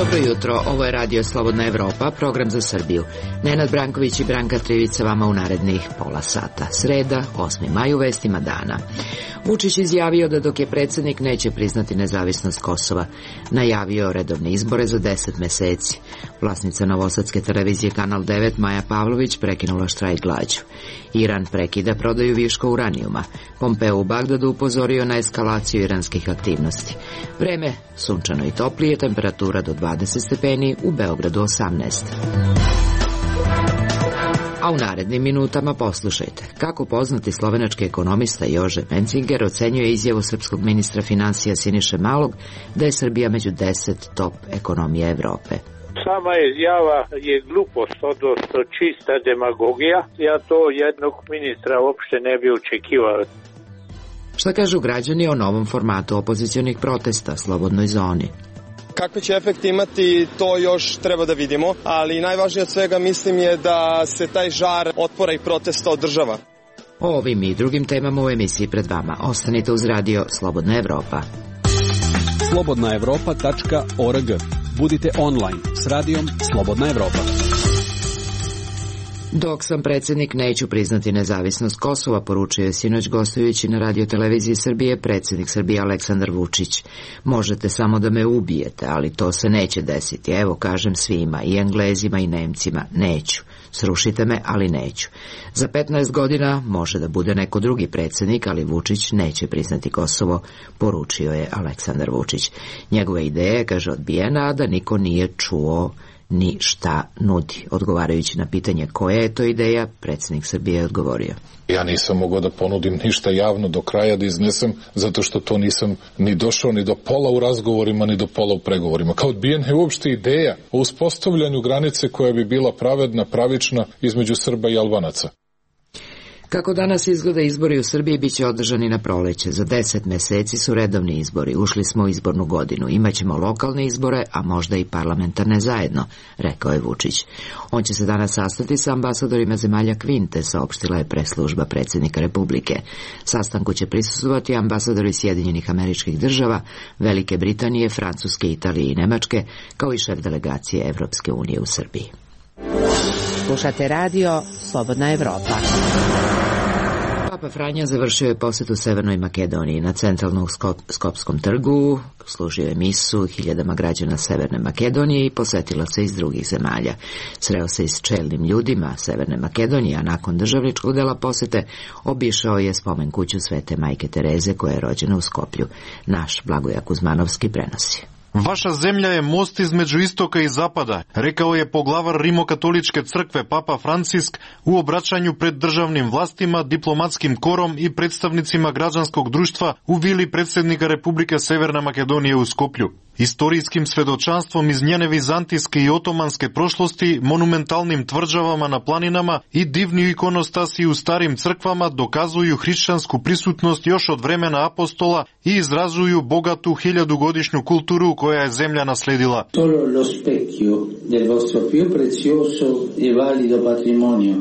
Dobro jutro, ovo je Radio Slobodna Evropa, program za Srbiju. Nenad Branković i Branka Trivica vama u narednih pola sata. Sreda, 8. maj, u vestima dana. Vučić izjavio da dok je predsjednik neće priznati nezavisnost Kosova. Najavio redovne izbore za 10 meseci. Vlasnica novosadske televizije Kanal 9 Maja Pavlović prekinula štrajk glađu. Iran prekida prodaju viška uranijuma. Pompeo u Bagdadu upozorio na eskalaciju iranskih aktivnosti. Vreme sunčano i toplije, temperatura do 20 stepeni, u Beogradu 18. A u narednim minutama poslušajte kako poznati slovenački ekonomista Jože Mencinger ocenjuje izjavu srpskog ministra financija Siniše Malog da je Srbija među 10 top ekonomija Evrope. Sama izjava je glupost, odnosno čista demagogija. Ja to jednog ministra uopšte ne bi očekivao. Šta kažu građani o novom formatu opozicionih protesta, Slobodnoj zoni? Kakve će efekti imati, to još treba da vidimo, ali najvažnije od svega mislim je da se taj žar otpora i protesta održava. O ovim i drugim temama u emisiji pred vama. Ostanite uz radio Slobodna Evropa. slobodnaevropa.org. Budite online s radijom Slobodna Evropa. Dok sam predsjednik, neću priznati nezavisnost Kosova, poručio je sinoć gostujući na radioteleviziji Srbije predsjednik Srbije Aleksandar Vučić. Možete samo da me ubijete, ali to se neće desiti. Evo, kažem svima, i Englezima i Nemcima, neću. Srušite me, ali neću. Za 15 godina može da bude neko drugi predsjednik, ali Vučić neće priznati Kosovo, poručio je Aleksandar Vučić. Njegova ideja je, kaže, odbijena, a da niko nije čuo ni šta nudi. Odgovarajući na pitanje koja je to ideja, predsjednik Srbije je odgovorio: ja nisam mogao da ponudim ništa javno do kraja da iznesem, zato što to nisam ni došao ni do pola u razgovorima, ni do pola u pregovorima. Kao odbijena je uopšte ideja o uspostavljanju granice koja bi bila pravedna, pravična između Srba i Albanaca. Kako danas izgleda izbori u Srbiji, bit će održani na proleće. Za 10 meseci su redovni izbori. Ušli smo u izbornu godinu. Imaćemo lokalne izbore, a možda i parlamentarne zajedno, rekao je Vučić. On će se danas sastati sa ambasadorima zemalja Kvinte, saopštila je preslužba predsjednika Republike. Sastanku će prisustvovati ambasadori Sjedinjenih Američkih Država, Velike Britanije, Francuske, Italije i Nemačke, kao i šef delegacije Evropske unije u Srbiji. Slušate radio Slobodna Evropa. Papa Franja završio je posjetu Severnoj Makedoniji. Na centralnom Skopskom trgu služio je misu hiljadama građana Severne Makedonije i posjetila se iz drugih zemalja. Sreo se i s čelnim ljudima Severne Makedonije, a nakon državničkog dela posjete obišao je spomen kuću Svete Majke Tereze, koja je rođena u Skoplju. Naš Blagoje Kuzmanovski prenosi. Vaša zemlja je most između istoka i zapada, rekao je poglavar Rimokatoličke crkve Papa Francisk u obraćanju pred državnim vlastima, diplomatskim korom i predstavnicima građanskog društva u vili predsjednika Republike Severna Makedonije u Skoplju. Istorijskim svedočanstvom iz njene vizantijske i otomanske prošlosti, monumentalnim tvrđavama na planinama i divni ikonostasi u starim crkvama dokazuju hrišćansku prisutnost još od vremena apostola i izrazuju bogatu 1000-godišnju kulturu koja je zemlja nasledila. Solo lo specchio del vostro più prezioso e valido patrimonio.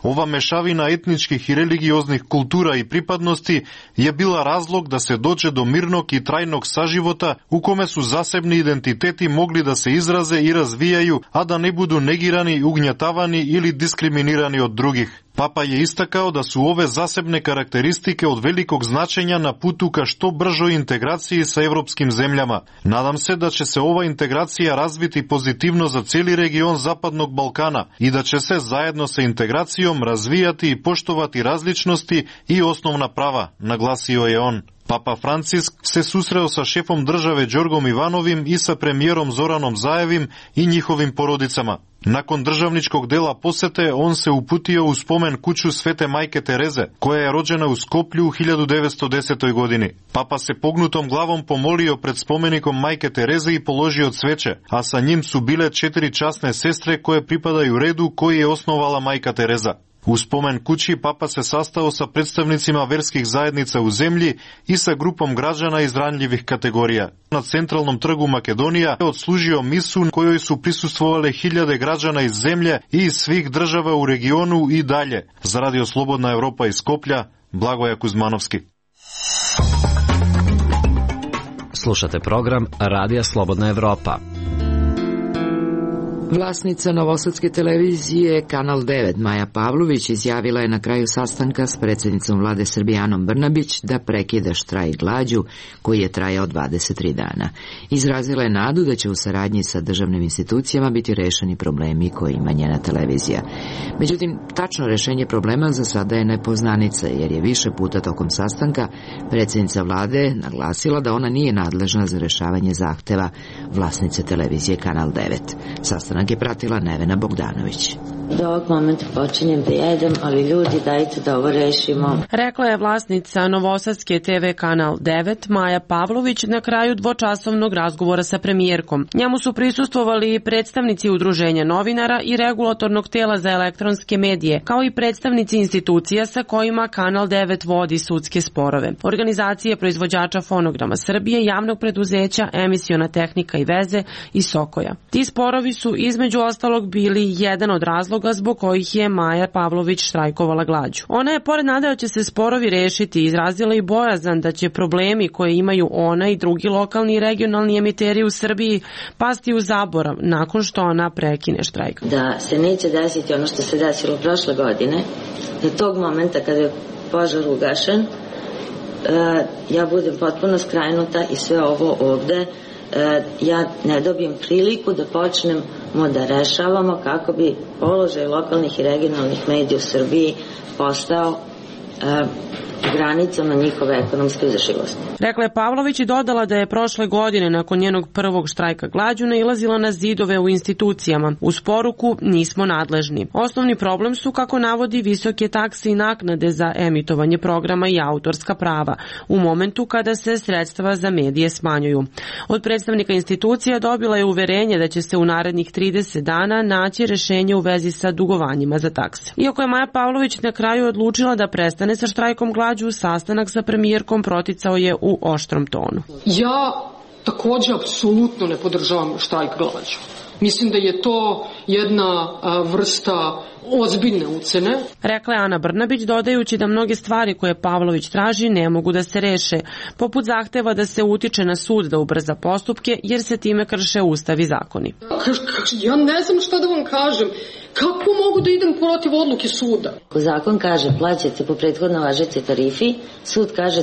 Ova mešavina etničkih i religioznih kultura i pripadnosti je bila razlog da se dođe do mirnog i trajnog saživota u kome su zasebni identiteti mogli da se izraze i razvijaju, a da ne budu negirani, ugnjetavani ili diskriminirani od drugih. Papa je istakao da su ove zasebne karakteristike od velikog značenja na putu ka što bržoj integraciji sa evropskim zemljama. Nadam se da će se ova integracija razviti pozitivno za cijeli region Zapadnog Balkana i da će se zajedno sa integracijom razvijati i poštovati različnosti i osnovna prava, naglasio je on. Papa Francisk se susreo sa šefom države Đorgom Ivanovim i sa premijerom Zoranom Zajevim i njihovim porodicama. Nakon državničkog dela posete, on se uputio u spomen kuću Svete Majke Tereze, koja je rođena u Skoplju u 1910. godini. Papa se pognutom glavom pomolio pred spomenikom Majke Tereze i položio cveće, a sa njim su bile 4 časne sestre koje pripadaju redu koji je osnovala Majka Tereza. U spomen kući Papa se sastao sa predstavnicima verskih zajednica u zemlji i sa grupom građana iz ranjivih kategorija. Na centralnom trgu Makedonija je odslužio misu kojoj su prisustvovale hiljade građana iz zemlje i iz svih država u regionu i dalje. Za Radio Slobodna Evropa iz Skoplja, Blagoje Kuzmanovski. Slušate program Radija Slobodna Evropa. Vlasnica Novosadske televizije Kanal 9 Maja Pavlović izjavila je na kraju sastanka s predsjednicom vlade Srbije Anom Brnabić da prekida štrajk glađu koji je trajao 23 dana. Izrazila je nadu da će u saradnji sa državnim institucijama biti rešeni problemi koje ima njena televizija. Međutim, tačno rešenje problema za sada je nepoznanica, jer je više puta tokom sastanka predsjednica vlade naglasila da ona nije nadležna za rešavanje zahteva vlasnice televizije Kanal 9. Sastanak je pratila Nevena Bogdanović. Do ovog momenta počinjem da jedem, ali ljudi, dajte da ovo rešimo. Rekla je vlasnica Novosadske TV Kanal 9 Maja Pavlović na kraju dvočasovnog razgovora sa premijerkom. Njemu su prisustvovali predstavnici udruženja novinara i regulatornog tela za elektronske medije, kao i predstavnici institucija sa kojima Kanal 9 vodi sudske sporove. Organizacije proizvođača fonograma Srbije, javnog preduzeća Emisiona tehnika i veze i Sokoja. Ti sporovi su između ostalog bili jedan od razloga zbog kojih je Maja Pavlović štrajkovala glađu. Ona je, pored nade da će se sporovi rešiti, izrazila i bojazan da će problemi koje imaju ona i drugi lokalni i regionalni emiteri u Srbiji pasti u zaborav nakon što ona prekine štrajk. Da se neće desiti ono što se desilo prošle godine, da tog momenta kada je požar ugašen, ja budem potpuno skrajnuta i sve ovo ovde, ja ne dobijem priliku da počnemo da rešavamo kako bi položaj lokalnih i regionalnih medija u Srbiji postao granicama njihove ekonomske izdrživosti. Rekla je Pavlović i dodala da je prošle godine nakon njenog prvog štrajka glađu nailazila na zidove u institucijama. Uz poruku nismo nadležni. Osnovni problem su, kako navodi, visoke takse i naknade za emitovanje programa i autorska prava u momentu kada se sredstva za medije smanjuju. Od predstavnika institucija dobila je uverenje da će se u narednih 30 dana naći rešenje u vezi sa dugovanjima za takse. Iako je Maja Pavlović na kraju odlučila da prestane sa štrajkom glađu, sastanak sa premijerkom proticao je u oštrom tonu. Ja takođe apsolutno ne podržavam štrajk glađu. Mislim da je to jedna vrsta ozbiljne ucene. Rekla je Ana Brnabić, dodajući da mnoge stvari koje Pavlović traži ne mogu da se reše, poput zahteva da se utiče na sud da ubrza postupke, jer se time krše ustav i zakoni. Ja ne znam šta da vam kažem. Kako mogu da idem protiv odluke suda? Zakon kaže plaćate po prethodno važećoj tarifi, sud kaže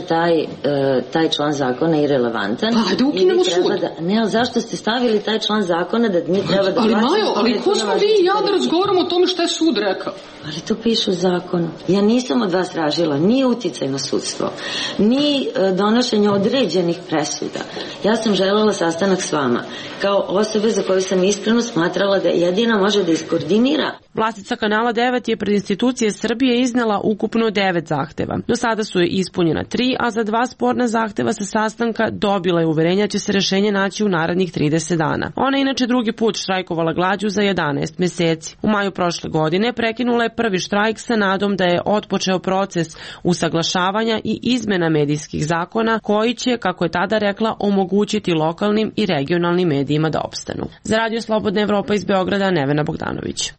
taj član zakona je irelevantan. Pa da ukinemo sud. Ne, ali zašto ste stavili taj član zakona da mi treba da plaćamo? Ali Majo, ali ko smo vi i ja da razgovaramo o tome šta je sud rekao? Ali to piše u zakonu. Ja nisam od vas tražila ni uticaj na sudstvo, ni donošenje određenih presuda. Ja sam želela sastanak s vama, kao osobe za koju sam iskreno smatrala da jedina može da iskoordinira. Vlasnica Kanala 9 je pred institucije Srbije iznela ukupno 9 zahteva. Do sada su je ispunjena 3, a za 2 sporna zahteva sa sastanka dobila je uverenja da će se rešenje naći u narednih 30 dana. Ona je inače drugi put štrajkovala glađu za 11 meseci. U maju prošle godine prekinula je prvi štrajk sa nadom da je otpočeo proces usaglašavanja i izmena medijskih zakona koji će, kako je tada rekla, omogućiti lokalnim i regionalnim medijima da opstanu. Za Radio Slobodna Evropa iz Beograda, Nevena Bogdanović.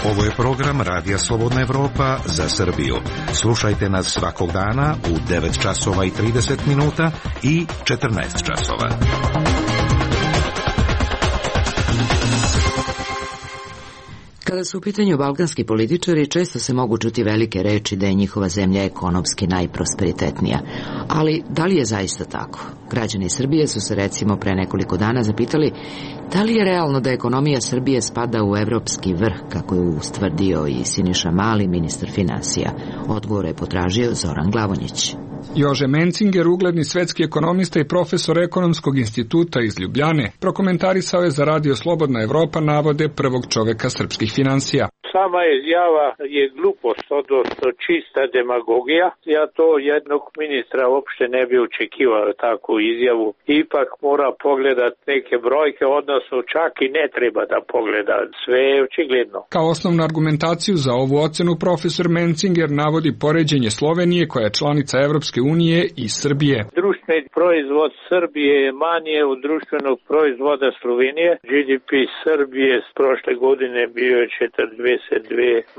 Ovo je program Radija Slobodna Evropa za Srbiju. Slušajte nas svakog dana u 9 časova i 30 minuta i 14 časova. Kada su u pitanju balkanski političari, često se mogu čuti velike reči da je njihova zemlja ekonomski najprosperitetnija. Ali da li je zaista tako? Građani Srbije su se recimo pre nekoliko dana zapitali da li je realno da ekonomija Srbije spada u evropski vrh, kako je ustvrdio i Siniša Mali, ministar finansija. Odgovor je potražio Zoran Glavonjić. Jože Mencinger, ugledni svetski ekonomista i profesor Ekonomskog instituta iz Ljubljane, prokomentarisao je za Radio Slobodna Evropa navode prvog čoveka srpskih finansija. Sama izjava je glupost, odnosno čista demagogija. Ja to jednog ministra uopšte ne bi očekivao takvu izjavu. Ipak mora pogledat neke brojke, odnosno čak i ne treba da pogleda. Sve je očigledno. Kao osnovnu argumentaciju za ovu ocenu profesor Mencinger navodi poređenje Slovenije, koja je članica Evropske unije, i Srbije. Društveni proizvod Srbije je manje od društvenog proizvoda Slovenije. GDP Srbije s prošle godine bio je 42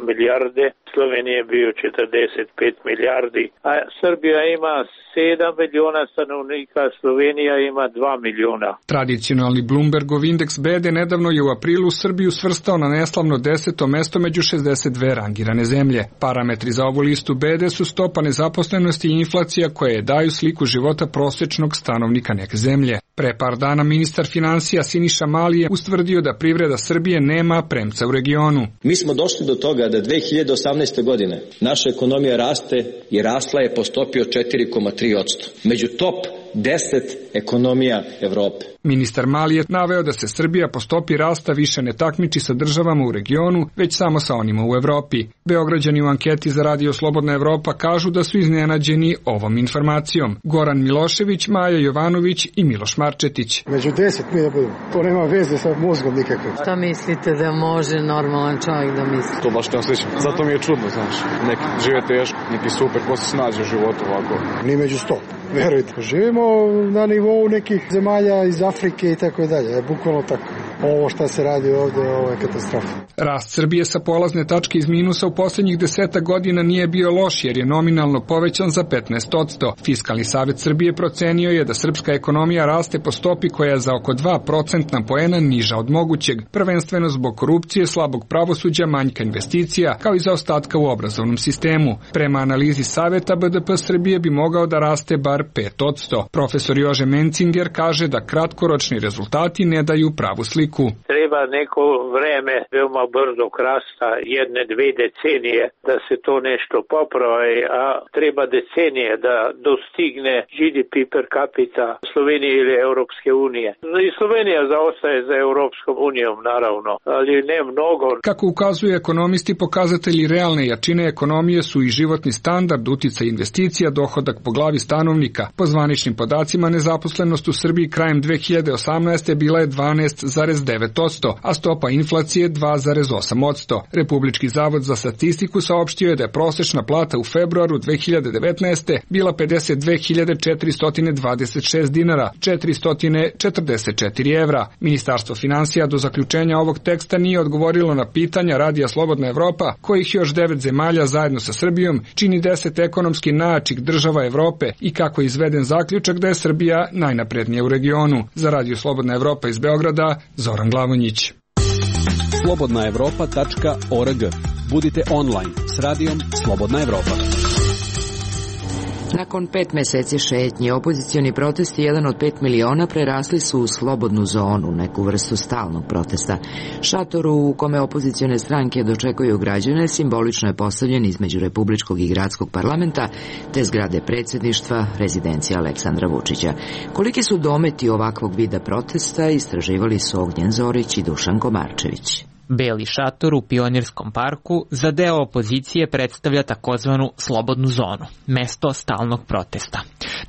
milijarde, Slovenija je bio 45 milijardi, a Srbija ima 7 miliona stanovnika, Slovenija ima 2 miliona. Tradicionalni Bloombergov indeks bede nedavno je u aprilu Srbiju svrstao na neslavno 10. mesto među 62 rangirane zemlje. Parametri za ovu listu bede su stopa nezaposlenosti i inflacija koje daju sliku života prosječnog stanovnika neke zemlje. Pre par dana ministar finansija Siniša Mali je ustvrdio da privreda Srbije nema premca u regionu. Mi smo došli do toga da 2018. godine naša ekonomija raste i rasla je po stopi od 4,3%. Među top 10 ekonomija Evrope. Ministar Mali je naveo da se Srbija po stopi rasta više ne takmiči sa državama u regionu, već samo sa onima u Evropi. Beograđani u anketi za Radio Slobodna Evropa kažu da su iznenađeni ovom informacijom. Goran Milošević, Maja Jovanović i Miloš Marčetić. Među 10 mi da budemo. To nema veze sa mozgom nikakve. Šta mislite da može normalan čovjek da misli? To baš ne osjećam. Zato mi je čudno, znaš. Neki žive teško, neki super, ko se snađe u životu ovako. Ni među 100. Verujte, živimo na nivou nekih zemalja iz Afrike i tako dalje, bukvalno tako. Ovo šta se radi ovde, ovo je katastrofa. Rast Srbije sa polazne tačke iz minusa u posljednjih 10 godina nije bio loš jer je nominalno povećan za 15%. Fiskalni savet Srbije procenio je da srpska ekonomija raste po stopi koja je za oko 2% poena niža od mogućeg, prvenstveno zbog korupcije, slabog pravosuđa, manjka investicija, kao i zaostatka u obrazovnom sistemu. Prema analizi saveta BDP Srbije bi mogao da raste bar 5%. Profesor Jože Mencinger kaže da kratkoročni rezultati ne daju pravu sliku. Treba neko vreme veoma brzog rasta, 1-2 decenije da se to nešto popravi, a treba decenije da dostigne GDP per capita Slovenije ili Europske unije. I Slovenija zaostaje za Europskom unijom, naravno, ali ne mnogo. Kako ukazuju ekonomisti, pokazatelji realne jačine ekonomije su i životni standard, uticaj investicija, dohodak po glavi stanovnika. Po zvaničnim podacima, nezaposlenost u Srbiji krajem 2018. bila je 12,9%, a stopa inflacije 2,8%. Republički zavod za statistiku saopštio je da je prosečna plata u februaru 2019. bila 52.426 dinara, 444 evra. Ministarstvo finansija do zaključenja ovog teksta nije odgovorilo na pitanja Radija Slobodna Evropa, kojih još 9 zemalja zajedno sa Srbijom čini 10 ekonomski najjačih država Evrope i kako je izveden zaključak da je Srbija najnaprednija u regionu. Za Radio Slobodna Evropa iz Beograda, Zoran Glavonjić. slobodnaevropa.org. Budite online s radijom Slobodna Evropa. Nakon 5 meseci šetnje, opozicioni protesti, jedan od 5 miliona, prerasli su u slobodnu zonu, neku vrstu stalnog protesta. Šator u kome opozicione stranke dočekuju građane simbolično je postavljen između Republičkog i Gradskog parlamenta te zgrade predsjedništva rezidencije Aleksandra Vučića. Koliki su dometi ovakvog vida protesta, istraživali su Ognjen Zorić i Dušan Komarčević. Beli šator u Pionirskom parku za deo opozicije predstavlja takozvanu slobodnu zonu, mesto stalnog protesta.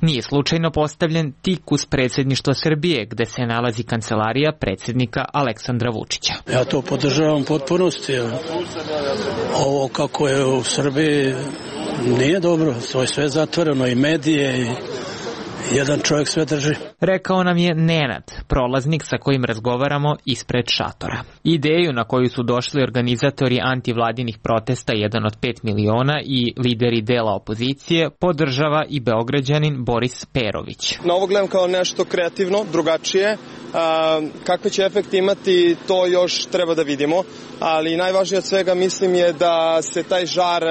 Nije slučajno postavljen tik uz predsjedništvo Srbije, gde se nalazi kancelarija predsjednika Aleksandra Vučića. Ja to podržavam potpunosti. Ovo kako je u Srbiji nije dobro, to je sve zatvoreno i medije i jedan čovjek sve drži. Rekao nam je Nenad, prolaznik sa kojim razgovaramo ispred šatora. Ideju na koju su došli organizatori antivladinih protesta, jedan od 5 miliona i lideri dela opozicije, podržava i Beograđanin Boris Perović. Na ovo gledam kao nešto kreativno, drugačije. Kakve će efekti imati, to još treba da vidimo, ali najvažnije od svega mislim je da se taj žar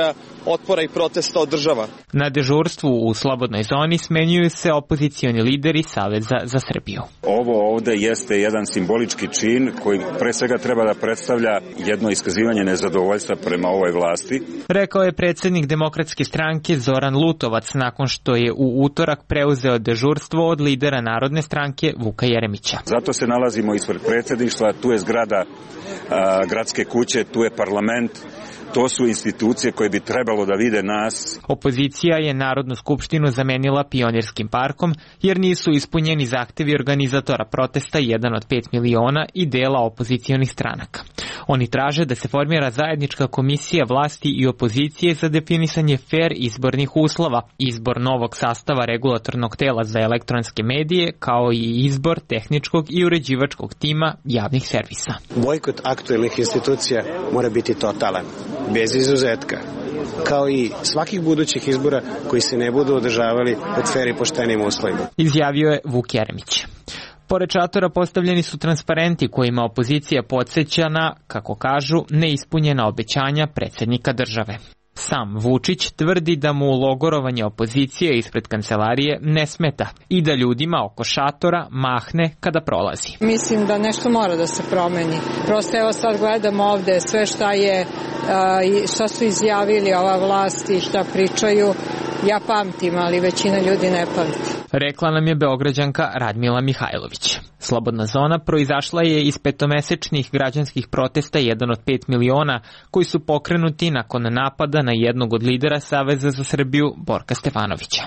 otpora i protesta održava. Na dežurstvu u slobodnoj zoni smenjuju se opozicioni lideri Saveza za Srbiju. Ovo ovde jeste jedan simbolički čin koji pre svega treba da predstavlja jedno iskazivanje nezadovoljstva prema ovoj vlasti. Rekao je predsjednik Demokratske stranke Zoran Lutovac nakon što je u utorak preuzeo dežurstvo od lidera Narodne stranke Vuka Jeremića. Zato se nalazimo ispred predsjedništva, tu je zgrada gradske kuće, tu je parlament. To su institucije koje bi trebalo da vide nas. Opozicija je Narodnu skupštinu zamenila Pionirskim parkom jer nisu ispunjeni zahtevi organizatora protesta, jedan od 5 miliona i dela opozicionih stranaka. Oni traže da se formira zajednička komisija vlasti i opozicije za definisanje fer izbornih uslova, izbor novog sastava regulatornog tela za elektronske medije, kao i izbor tehničkog i uređivačkog tima javnih servisa. Bojkot aktuelnih institucija mora biti totalan, bez izuzetka, kao i svakih budućih izbora koji se ne budu održavali pod fer i poštenim uslovima. Izjavio je Vuk Jeremić. Pored šatora postavljeni su transparenti kojima opozicija podsjeća na, kako kažu, neispunjena obećanja predsjednika države. Sam Vučić tvrdi da mu logorovanje opozicije ispred kancelarije ne smeta i da ljudima oko šatora mahne kada prolazi. Mislim da nešto mora da se promeni. Prosto evo sad gledam ovde sve šta su izjavili ova vlast i šta pričaju. Ja pamtim, ali većina ljudi ne pamti. Rekla nam je Beograđanka Radmila Mihajlović. Slobodna zona proizašla je iz petomesečnih građanskih protesta 1 od 5 miliona koji su pokrenuti nakon napada na jednog od lidera Saveza za Srbiju, Borka Stefanovića.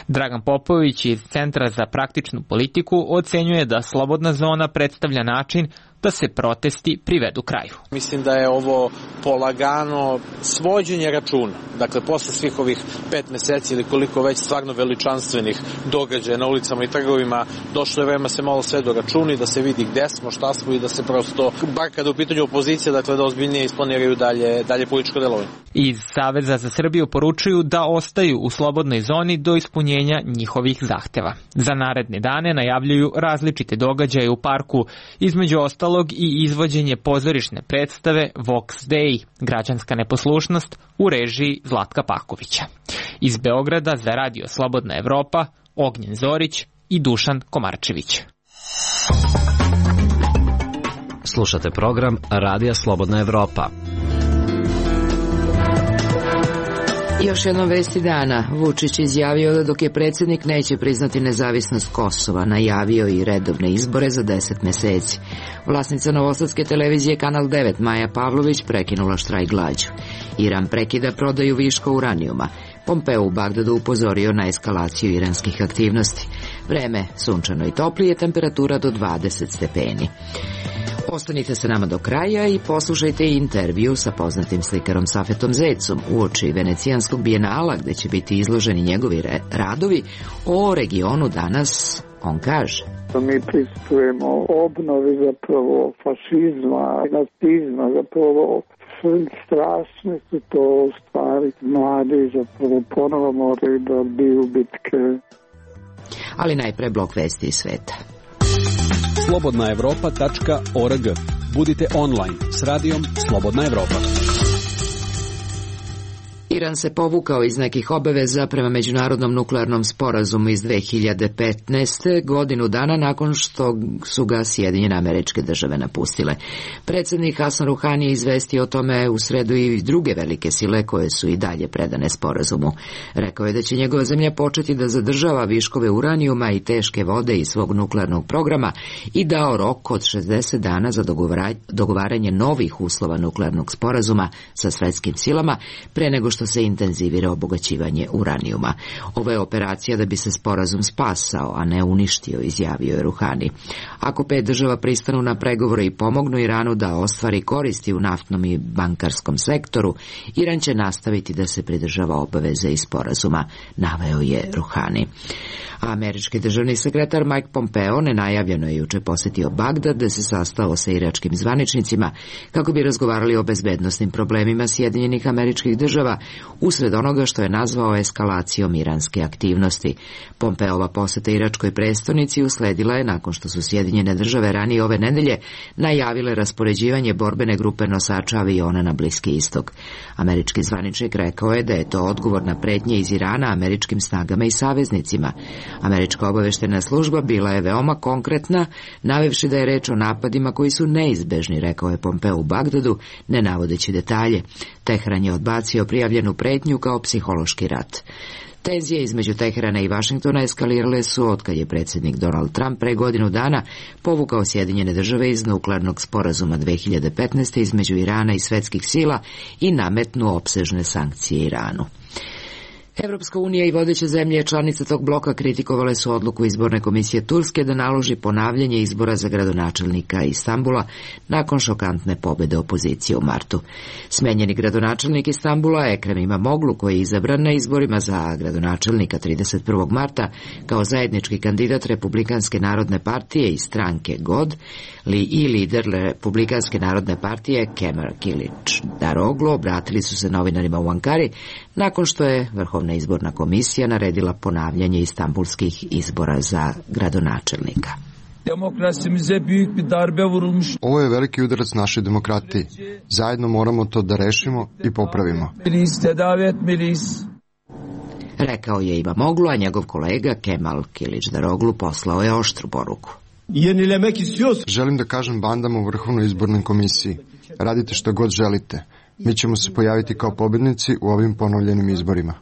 Dragan Popović iz Centra za praktičnu politiku ocenjuje da slobodna zona predstavlja način da se protesti privedu kraju. Mislim da je ovo polagano svođenje računa. Dakle, posle svih ovih 5 meseci ili koliko već stvarno veličanstvenih događaja na ulicama i trgovima, došlo je vreme se malo sve do računa i da se vidi gde smo, šta smo i da se prosto, bar kada u pitanju opozicije, dakle da ozbiljnije isplaniraju dalje političko delovanje. Iz Saveza za Srbiju poručuju da ostaju u slobodnoj zoni do ispunjenja njihovih zahteva. Za naredne dane najavljuju različite događaje u parku, između ostalog i izvođenje pozorišne predstave Vox Dei, građanska neposlušnost, u režiji Zlatka Pakovića. Iz Beograda za Radio Slobodna Evropa, Ognjen Zorić i Dušan Komarčević. Slušate program Radija Slobodna Evropa. Još jednom vesti dana. Vučić izjavio da dok je predsjednik neće priznati nezavisnost Kosova, najavio i redovne izbore za 10 meseci. Vlasnica novosadske televizije Kanal 9 Maja Pavlović prekinula štrajk glađu. Iran prekida prodaju viška uranijuma. Pompeo u Bagdadu upozorio na eskalaciju iranskih aktivnosti. Vreme sunčano i toplije, temperatura do 20 stepeni. Ostanite sa nama do kraja i poslušajte intervju sa poznatim slikarom Safetom Zecom uoči Venecijanskog bijenala, gde će biti izloženi njegovi radovi o regionu danas. On kaže: mi pristupujemo obnovi zapravo fašizma, nacizma, zapravo strašne su to stvari. Mladi zapravo ponovo moraju da biju bitke. Ali najpre blok vesti iz sveta. slobodnaevropa.org. Budite online s radijom Slobodna Evropa. Iran se povukao iz nekih obaveza prema međunarodnom nuklearnom sporazumu iz 2015. godinu dana nakon što su ga Sjedinjene Američke Države napustile. Predsjednik Hasan Ruhani je izvestio o tome u sredu i druge velike sile koje su i dalje predane sporazumu. Rekao je da će njegova zemlja početi da zadržava viškove uranijuma i teške vode iz svog nuklearnog programa i dao rok od 60 dana za dogovaranje novih uslova nuklearnog sporazuma sa svetskim silama pre nego što se intenzivira obogaćivanje uranijuma. Ovo je operacija da bi se sporazum spasao, a ne uništio, izjavio je Ruhani. Ako 5 država pristanu na pregovore i pomognu Iranu da ostvari koristi u naftnom i bankarskom sektoru, Iran će nastaviti da se pridržava obaveze iz sporazuma, naveo je Ruhani. Američki državni sekretar Mike Pompeo nenajavljeno je juče posjetio Bagdad, da se sastao sa iračkim zvaničnicima kako bi razgovarali o bezbednosnim problemima Sjedinjenih Američkih Država usred onoga što je nazvao eskalacijom iranske aktivnosti. Pompeova poseta iračkoj prestonici usledila je nakon što su Sjedinjene Države ranije ove nedelje najavile raspoređivanje borbene grupe nosača aviona na Bliski istok. Američki zvaničnik rekao je da je to odgovor na pretnje iz Irana američkim snagama i saveznicima. Američka obaveštena služba bila je veoma konkretna, navevši da je reč o napadima koji su neizbežni, rekao je Pompeo u Bagdadu, ne navodeći detalje. Tehran je odbacio prijavljenu pretnju kao psihološki rat. Tenzije između Teherana i Vašingtona eskalirale su otkad je predsjednik Donald Trump pre godinu dana povukao Sjedinjene Države iz nuklearnog sporazuma 2015. između Irana i svetskih sila i nametnuo opsežne sankcije Iranu. Evropska unija i vodeće zemlje članice tog bloka kritikovale su odluku izborne komisije Turske da naloži ponavljanje izbora za gradonačelnika Istanbula nakon šokantne pobede opozicije u martu. Smenjeni gradonačelnik Istanbula Ekrem İmamoğlu, koji je izabran na izborima za gradonačelnika 31. marta kao zajednički kandidat Republikanske narodne partije i stranke God i lider Republikanske narodne partije Kemal Kılıçdaroğlu obratili su se novinarima u Ankari nakon što je Vrhovna izborna komisija naredila ponavljanje istambulskih izbora za gradonačelnika. Ovo je veliki udarac našoj demokratiji. Zajedno moramo to da rešimo i popravimo. Rekao je İmamoğlu, a njegov kolega Kemal Kılıçdaroğlu poslao je oštru poruku. Želim da kažem bandama u Vrhovnoj izbornoj komisiji. Radite što god želite. Mi ćemo se pojaviti kao pobednici u ovim ponovljenim izborima.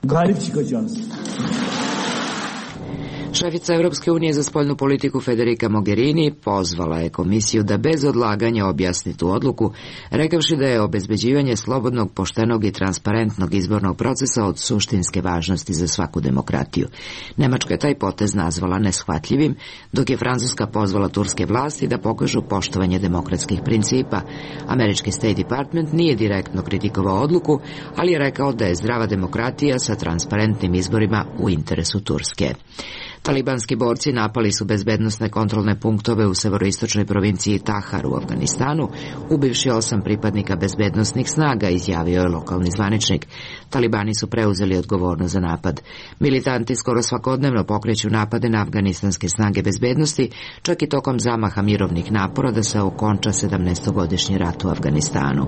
Šefica Evropske unije za spoljnu politiku Federica Mogherini pozvala je komisiju da bez odlaganja objasni tu odluku, rekavši da je obezbeđivanje slobodnog, poštenog i transparentnog izbornog procesa od suštinske važnosti za svaku demokratiju. Nemačka je taj potez nazvala neshvatljivim, dok je Francuska pozvala turske vlasti da pokažu poštovanje demokratskih principa. Američki State Department nije direktno kritikovao odluku, ali je rekao da je zdrava demokratija sa transparentnim izborima u interesu Turske. Talibanski borci napali su bezbednosne kontrolne punktove u severoistočnoj provinciji Tahar u Afganistanu, ubivši 8 pripadnika bezbednosnih snaga, izjavio je lokalni zvaničnik. Talibani su preuzeli odgovornost za napad. Militanti skoro svakodnevno pokreću napade na afganistanske snage bezbednosti, čak i tokom zamaha mirovnih napora da se okonča 17-godišnji rat u Afganistanu.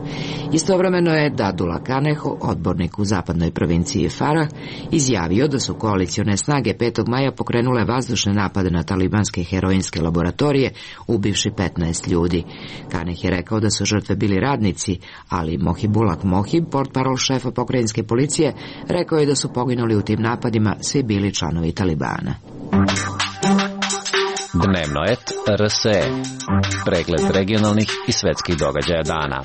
Istovremeno je Dadullah Kaneho, odbornik u zapadnoj provinciji Farah, izjavio da su koalicione snage 5. maja pokrenule vazdušne napade na talibanske heroinske laboratorije, ubivši 15 ljudi. Kaneh je rekao da su žrtve bili radnici, ali Mohibullah Mohib, portparol šefa pokrajinske policije, rekao je da su poginuli u tim napadima svi bili članovi Talibana. Dnevno et RSE. Pregled regionalnih i svetskih događaja dana.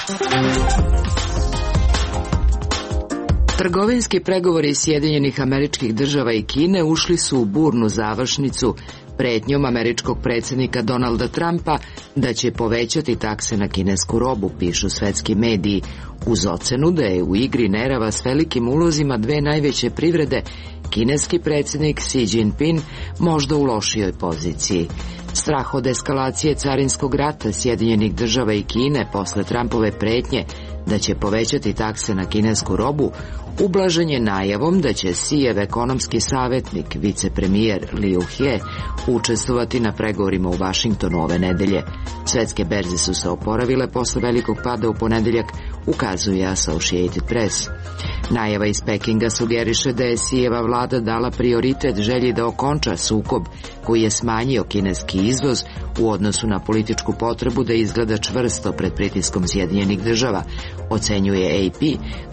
Trgovinski pregovori Sjedinjenih Američkih Država i Kine ušli su u burnu završnicu pretnjom američkog predsjednika Donalda Trumpa da će povećati takse na kinesku robu, pišu svetski mediji, uz ocenu da je u igri nerava s velikim ulozima dve najveće privrede kineski predsjednik Xi Jinping možda u lošijoj poziciji. Strah od eskalacije carinskog rata Sjedinjenih Država i Kine posle Trumpove pretnje da će povećati takse na kinesku robu ublažen je najavom da će Xijev ekonomski savjetnik, vicepremijer Liu He, učestvovati na pregovorima u Vašingtonu ove nedelje. Svetske berze su se oporavile posle velikog pada u ponedeljak, ukazuje Associated Press. Najava iz Pekinga sugeriše da je Xijeva vlada dala prioritet želji da okonča sukob koji je smanjio kineski izvoz u odnosu na političku potrebu da izgleda čvrsto pred pritiskom Sjedinjenih Država, ocenjuje AP,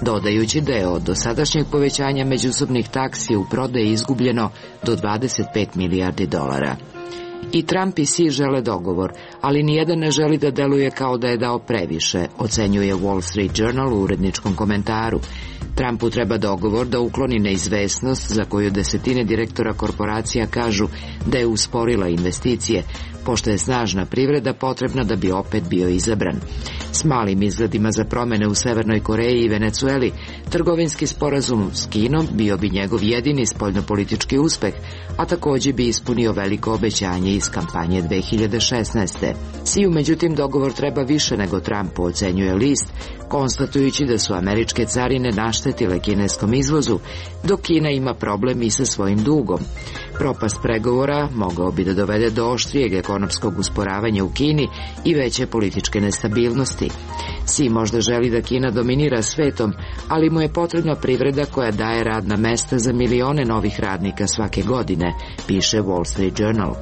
dodajući da je od dosadašnjeg povećanja međusobnih taksi u prodaji izgubljeno do 25 milijardi dolara. I Trump i Xi žele dogovor, ali nijedan ne želi da deluje kao da je dao previše, ocenjuje Wall Street Journal u uredničkom komentaru. Trumpu treba dogovor da ukloni neizvesnost za koju desetine direktora korporacija kažu da je usporila investicije, pošto je snažna privreda potrebna da bi opet bio izabran. S malim izgledima za promene u Severnoj Koreji i Venecueli, trgovinski sporazum s Kinom bio bi njegov jedini spoljnopolitički uspeh, a takođe bi ispunio veliko obećanje iz kampanje 2016. Xiju, međutim, dogovor treba više nego Trumpu, ocenjuje list, konstatujući da su američke carine naštetile kineskom izvozu, dok Kina ima problem i sa svojim dugom. Propast pregovora mogao bi da dovede do oštrijeg ekonomskog usporavanja u Kini i veće političke nestabilnosti. Xi možda želi da Kina dominira svetom, ali mu je potrebna privreda koja daje radna mesta za milione novih radnika svake godine, piše Wall Street Journal.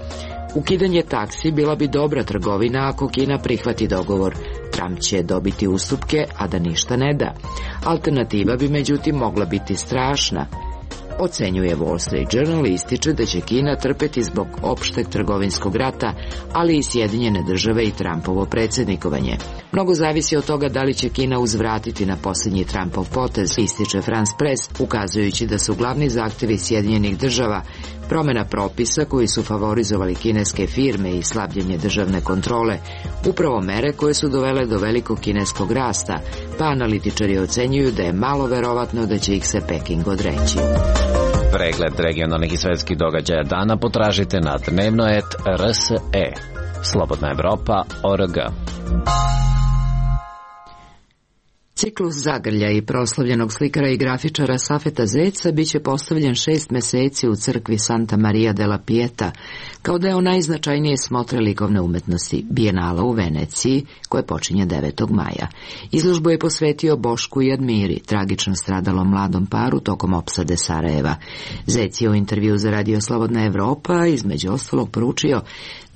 Ukidanje taksi bila bi dobra trgovina ako Kina prihvati dogovor. Trump će dobiti ustupke, a da ništa ne da. Alternativa bi međutim mogla biti strašna. Ocenjuje Wall Street Journal i ističe da će Kina trpeti zbog opšteg trgovinskog rata, ali i Sjedinjene države i Trumpovo predsjednikovanje. Mnogo zavisi od toga da li će Kina uzvratiti na posljednji Trumpov potez, ističe France Press, ukazujući da su glavni zahtevi Sjedinjenih država promjena propisa koji su favorizovali kineske firme i slabljenje državne kontrole, upravo mere koje su dovele do velikog kineskog rasta, pa analitičari ocenjuju da je malo verovatno da će ih se Peking odreći. Pregled regionalnih i svetskih događaja dana potražite na dnevno.rs.e. Slobodna Evropa.org. Ciklus zagrlja i proslavljenog slikara i grafičara Safeta Zeca biće postavljen 6 meseci u crkvi Santa Maria della Pieta, kao deo najznačajnije smotre likovne umetnosti Bijenala u Veneciji, koje počinje 9. maja. Izložbu je posvetio Bošku i Admiri, tragično stradalom mladom paru tokom opsade Sarajeva. Zec je u intervju za Radio Slobodna Evropa između ostalog poručio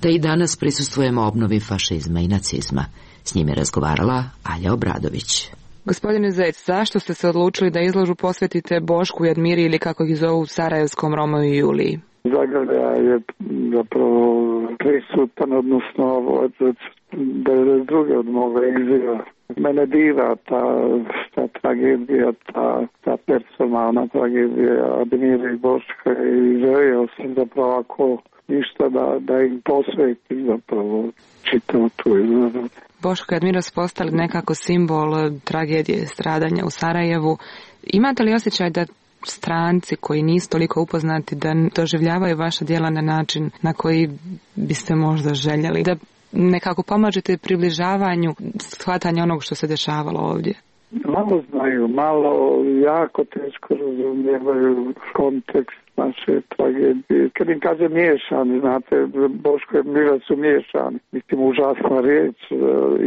da i danas prisustvujemo obnovi fašizma i nacizma. S njim je razgovarala Alja Obradović. Gospodine Zec, zašto ste se odlučili da izložbu posvetite Bošku i Admiri ili kako ih zovu sarajevskom Romeu i Juliji? Zagrlja je zapravo prisutan, odnosno od 92. od moga izjava. Mene diva ta tragedija, ta personalna tragedija Admira i Boška i želio sam zapravo ako ništa da im posvetim zapravo čitavu tu izložbu. Boško i Admira su postali nekako simbol tragedije stradanja u Sarajevu. Imate li osjećaj da stranci koji nisu toliko upoznati da doživljavaju vaša djela na način na koji biste možda željeli? Da nekako pomažete približavanju shvatanja onog što se dešavalo ovdje? Malo znaju, malo jako teško razumijevaju kontekst naše tragedije. Kad im kaže miješani, znate, Boško i Admira su miješani. Mislim, užasna riječ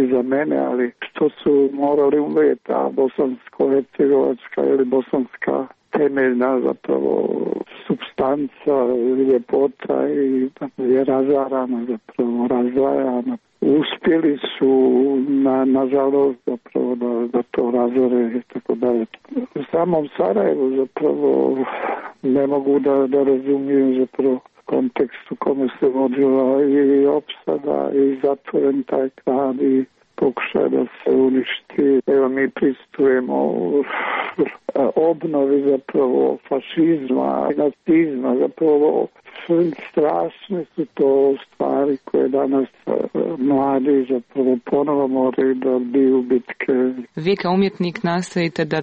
i za mene, ali što su morali umjeti, a bosansko-hercegovačka ili bosanska temeljna zapravo supstanca, ljepota i je razarana, zapravo razdvajana. Uspjeli su nažalost zapravo da to razore i tako dalje. U samom Sarajevu zapravo ne mogu da razumiju zapravo kontekst u kome se vodila i opsada i zatvoren taj grad i pokušaj da se uništi. Evo mi pristupujemo obnovi zapravo fašizma i nacizma, zapravo strašne su to stvari koje danas mladi zapravo ponovo moraju da biju bitke. Vi kao umjetnik nastojite da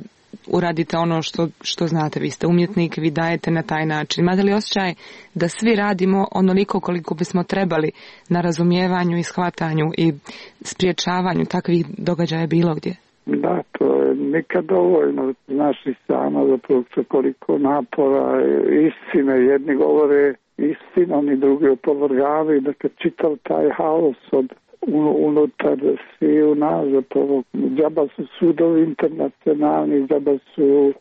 uradite ono što znate, vi ste umjetnik, vi dajete na taj način. Imate li osjećaj da svi radimo onoliko koliko bismo trebali na razumijevanju i shvatanju i spriječavanju takvih događaja bilo gdje? Da, to je nikad dovoljno. Znaš i sama zapravo koliko napora, istine, jedni govore istinom i drugi opovrgavaju, da kad čitav taj haos od unutar svi u nas, zapravo džaba su sudovi internacionalni, džaba su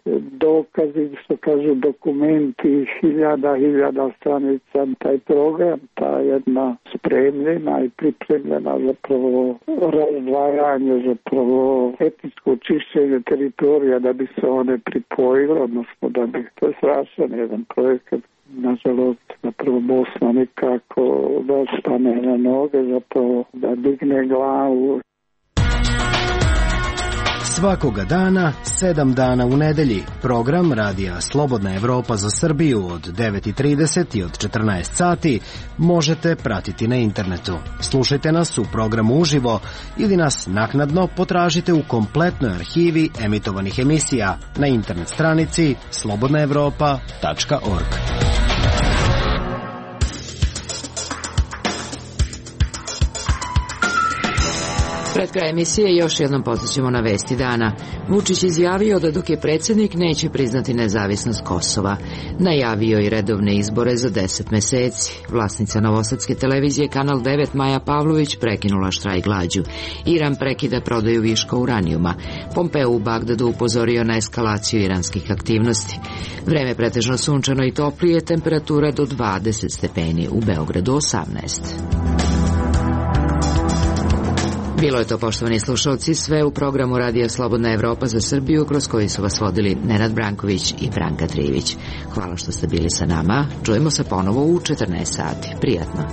dokazi, što kažu dokumenti, hiljada stranica, taj program, ta jedna spremljena i pripremljena zapravo razdvajanje, zapravo etničko očišćenje teritorija da bi se one pripojile, odnosno da bi, to je strašan jedan projekat. Nažalost, zapravo Bosna nikako da stane na noge, zapravo da digne glavu. Svakoga dana, 7 dana u nedelji, program Radija Slobodna Evropa za Srbiju od 9:30 i od 14 sati možete pratiti na internetu. Slušajte nas u programu uživo ili nas naknadno potražite u kompletnoj arhivi emitovanih emisija na internet stranici slobodnaevropa.org. Pred kraj emisije još jednom podsjećamo na vesti dana. Vučić izjavio da dok je predsjednik neće priznati nezavisnost Kosova. Najavio i redovne izbore za 10 meseci. Vlasnica novosadske televizije Kanal 9 Maja Pavlović prekinula štrajk glađu. Iran prekida prodaju viška uranijuma. Pompeo u Bagdadu upozorio na eskalaciju iranskih aktivnosti. Vreme pretežno sunčano i toplije, temperatura do 20 stepeni, u Beogradu 18. Bilo je to, poštovani slušalci, sve u programu Radija Slobodna Evropa za Srbiju, kroz koji su vas vodili Nenad Branković i Branka Trivić. Hvala što ste bili sa nama. Čujemo se ponovo u 14 sati. Prijatno.